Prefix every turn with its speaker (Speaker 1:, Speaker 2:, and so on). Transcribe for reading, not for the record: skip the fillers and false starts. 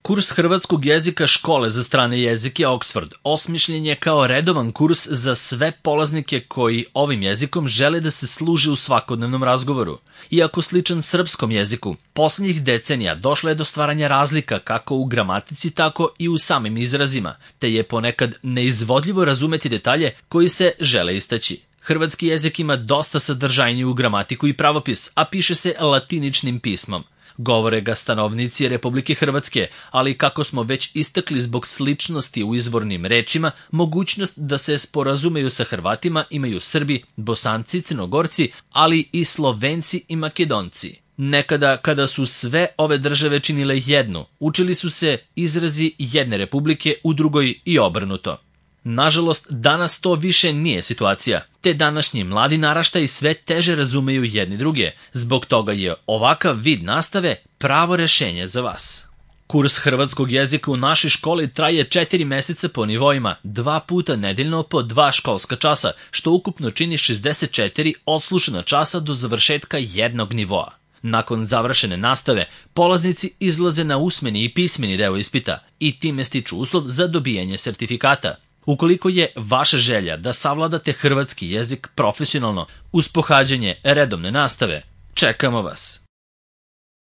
Speaker 1: Kurs hrvatskog jezika škole za strane jezike Oxford osmišljen je kao redovan kurs za sve polaznike koji ovim jezikom žele da se služe u svakodnevnom razgovoru. Iako sličan srpskom jeziku, poslednjih decenija došlo je do stvaranja razlika kako u gramatici, tako i u samim izrazima, te je ponekad neizvodljivo razumeti detalje koji se žele istaći. Hrvatski jezik ima dosta sadržajniju gramatiku i pravopis, a piše se latiničnim pismom. Govore ga stanovnici Republike Hrvatske, ali kako smo već istakli zbog sličnosti u izvornim rečima, mogućnost da se sporazumeju sa Hrvatima imaju Srbi, Bosanci, Crnogorci, ali i Slovenci i Makedonci. Nekada, kada su sve ove države činile jednu, učili su se izrazi jedne republike u drugoj i obrnuto. Nažalost, danas to više nije situacija, te današnji mladi naraštaji sve teže razumeju jedni druge. Zbog toga je ovakav vid nastave pravo rešenje za vas. Kurs hrvatskog jezika u našoj školi traje 4 meseca po nivoima, 2 puta nedeljno po 2 školska časa, što ukupno čini 64 odslušana časa do završetka jednog nivoa. Nakon završene nastave, polaznici izlaze na usmeni i pismeni deo ispita i time stiču uslov za dobijanje sertifikata. Ukoliko je vaša želja da savladate hrvatski jezik profesionalno uz pohađanje redovne nastave, čekamo vas!